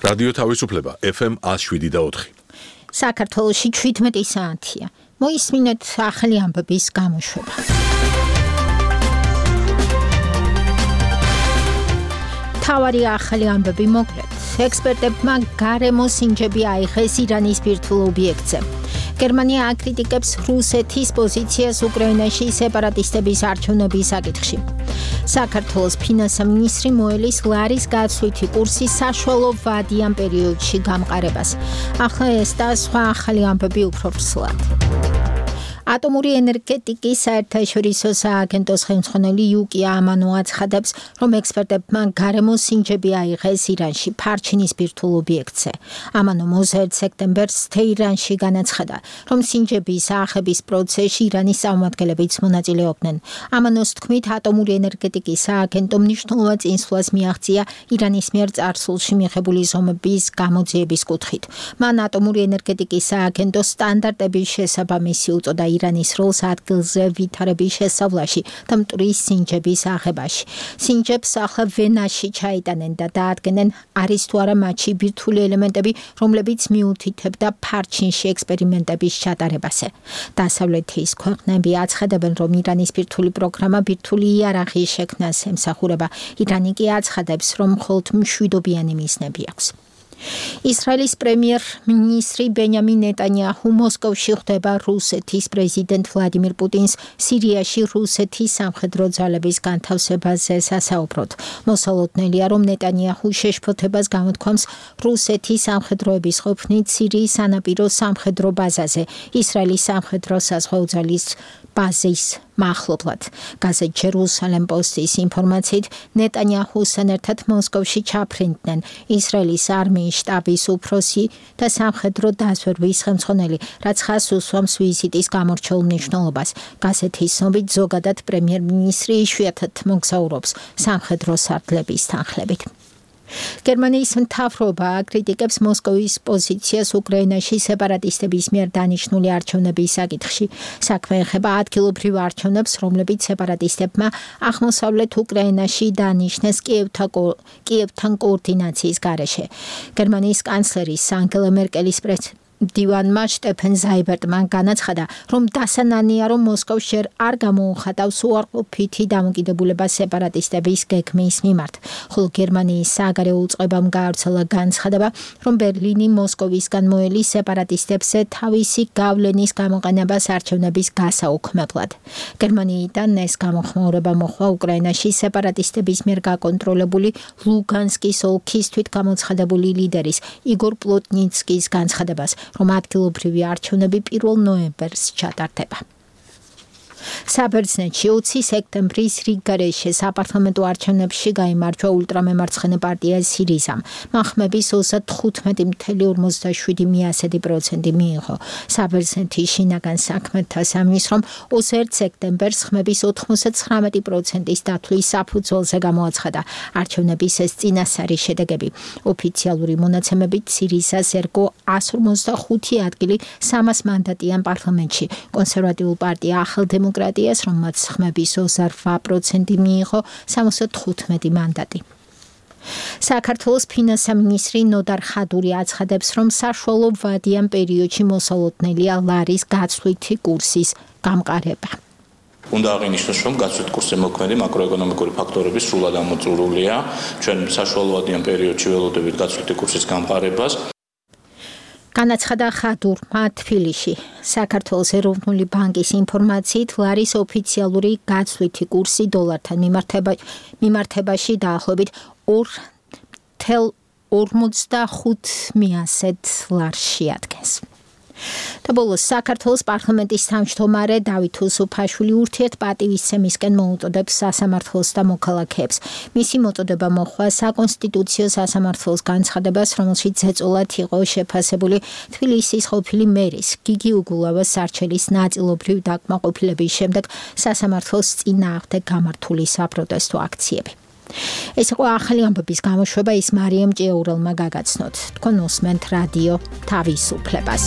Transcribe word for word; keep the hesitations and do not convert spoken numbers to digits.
რადიო თავისუფლება F M one oh seven და four. საქართველოში შვიდმეტი საათია. მოისმინეთ ახალი ამბების გამოშვება. თავარი ახალი ამბები მოკლედ. ექსპერტებმა გარემო სინჯები აიღეს ირანის ბირთვულ ობიექტზე. გერმანია აკრიტიკებს რუსეთის პოზიციას უკრაინაში სეპარატისტების არჩევნების საკითხში. საქართველოს ფინანსთა მინისტრი მოელის ლარის გაცვლითი კურსის საშუალო ვადიან პერიოდში გამყარებას. ახლა ეს და სხვა ახალი ამბები უფრო ფსლად. ატომური ენერგეტიკის საერთაშორისო სააგენტოს ხელმძღვანელი იუკია ამანო აცხადებს, რომ ექსპერტებმა გარემო სინჯები აიღეს ირანში ფარჩინის ბირთვულ ობიექტზე. ამანო მოზერდ სექტემბერს თეირანში განაცხადა, რომ სინჯების აახების პროცესში ირანის წარმომადგენლებიც მონაწილეობდნენ. ამანოს თქმით, ატომური ენერგეტიკის სააგენტომ მნიშვნელოვან წინსვლას მიაღწია ირანის მიერ წარსულში მიღებული ზომების გამოძიების კუთხით. მან ატომური ენერგეტიკის სააგენტოს სტანდარტების შესაბამისი უწოდა ირანის როლს ადგილზე ვითარების შესავლაში და მტვრის სინჯების აღებაში. სინჯებს ახლა ვენაში ჩაიტანენ და დაადგენენ, არის თუ არა მათში ბირთვული ელემენტები, რომლებიც მიუთითებდა ფარჩინში ექსპერიმენტების ჩატარებაზე. დასავლეთის ქვეყნები აცხადებენ, რომ ირანის ბირთვული პროგრამა ბირთვული იარაღის შექმნას ემსახურება. ირანი კი აცხადებს, რომ მხოლოდ მშვიდობიანი მიზნები აქვს. ისრაელის პრემიერ-მინისტრი ბენიამინ ნეტანიაჰუ მოსკოვში ხვდება რუსეთის პრეზიდენტ ვლადიმირ პუტინს სირიაში რუსეთის სამხედრო ძალების განთავსებაზე სასაუბროდ. მოსალოდნელია, რომ ნეტანიაჰუ შეშფოთებას გამოთქვამს რუსეთის სამხედროების ყოფნით სირიის სანაპირო სამხედრო ბაზაზე, ისრაელის სამხედრო საზღვაო ძალის ბაზის მახლობლად. გაზეთ ჯერუსალემ პოსტის ინფორმაციით, ნეტანიაჰუსთან ერთად მოსკოვში ჩაფრინდნენ ისრაელის არმიის შტაბის უფროსი და სამხედრო დაზვერვის ხელმძღვანელი, რაც ხაზს უსვამს ვიზიტის გამორჩეულ მნიშვნელობას. გაზეთის ცნობით, ზოგადად პრემიერ-მინისტრი იშვიათად მოგზაურობს სამხედრო სარდლების თანხლებით. გერმანიის მთავრობა აკრიტიკებს მოსკოვის პოზიციას უკრაინაში სეპარატისტების მიერ დანიშნული არჩევნების საკითხში. საქმე ეხება ადგილობრივ არჩევნებს, რომლებიც სეპარატისტებმა აღმოსავლეთ უკრაინაში დანიშნეს კიევთან კოორდინაციის გარეშე. გერმანიის კანცლერის ანგელა მერკელის პრეზიდენტ დივანმა შტეფენ ზაიბერტმა განაცხადა, რომ დასანანია, რომ მოსკოვს ჯერ არ გამოუხატავს უარყოფითი დამოკიდებულება სეპარატისტების გეგმის მიმართ. ხოლო გერმანიის საგარეო უწყებამ გაავრცელა განცხადება, რომ ბერლინი მოსკოვისგან მოელის სეპარატისტებზე თავისი გავლენის გამოყენებას არჩევნების გასაუქმებლად. გერმანიიდან ეს გამოხმაურება მოხდა უკრაინაში სეპარატისტების მიერ გაკონტროლებული ლუგანსკის ოლქის თვითგამოცხადებული ლიდერის იგორ პლოტნიცკის განცხადებას, რომ ადგილობრივი არჩევნები პირველ ნოემბერს ჩატარდება. საბერძნეთში ოცი სექტემბრის რიგგარეშე საპარლამენტო არჩევნებში გაიმარჯვა ულტრამემარცხენე პარტია სირიზამ. მახმების ოცდათხუთმეტი ფاصლე ორმოცდაშვიდი პროცენტი მიიღო. საბერძნეთის შინაგან საქმეთა სამინისტრომ ოცდაერთი სექტემბერს ხმების ოთხმოცდათხრამეტი პროცენტის დათვლის საფუძველზე გამოაცხადა. არჩევნების ეს წინასწარი შედეგები. ოფიციალური მონაცემებით სირიზას ერგო εκατს ორმოცდახუთი ადგილი სამას მანდატიან პარლამენტში. კონსერვატიულ პარტია ახალ დემოკრატიას, რომელმაც ხმების ოცდაოთხ პროცენტი მიიღო, სამოცდათხუთმეტი მანდატი. საქართველოს ფინანსთა მინისტრი ნოდარ ხადური აცხადებს, რომ საშუალო ვადიან პერიოდში მოსალოდნელია ლარის გაცვლითი კურსის გამყარება. უნდა აღინიშნოს, რომ გაცვლით კურსზე მოქმედი მაკროეკონომიკური ფაქტორები სრულად ამოწურულია. ჩვენ საშუალო ვადიან პერიოდში ველოდებით გაცვლითი კურსის გამყარებას. განაცხადა ხადურმა თბილისში. საქართველოს ეროვნული ბანკის ინფორმაციით, ლარის ოფიციალური გაცვლითი კურსი დოლართან მიმართებაში დაახლოებით ორ ათას ორმოცდახუთ ლარში ადგენს. და ბოლოს საქართველოს პარლამენტის თავმჯდომარე დავით უსუფაშვილი ურთიერთპატივისცემისკენ მოუწოდებს სასამართლოს და მოქალაქეებს. მისი მოწოდება მოჰყვა საკონსტიტუციო სასამართლოს განცხადებას, რომელშიც ეწოლათ იყო შეფასებული თბილისის ყოფილი მერის გიგი უგულავას სარჩელის ნაწილობრივ დაკმაყოფილების შემდეგ სასამართლოს წინააღმდეგ გამართული საპროტესტო აქციები. ეს იყო ახალი ამბების გამოშვება, ის მარიამ ჭიაურელმა გაგაცნოთ. თქვენ უსმენთ რადიო თავისუფლებას.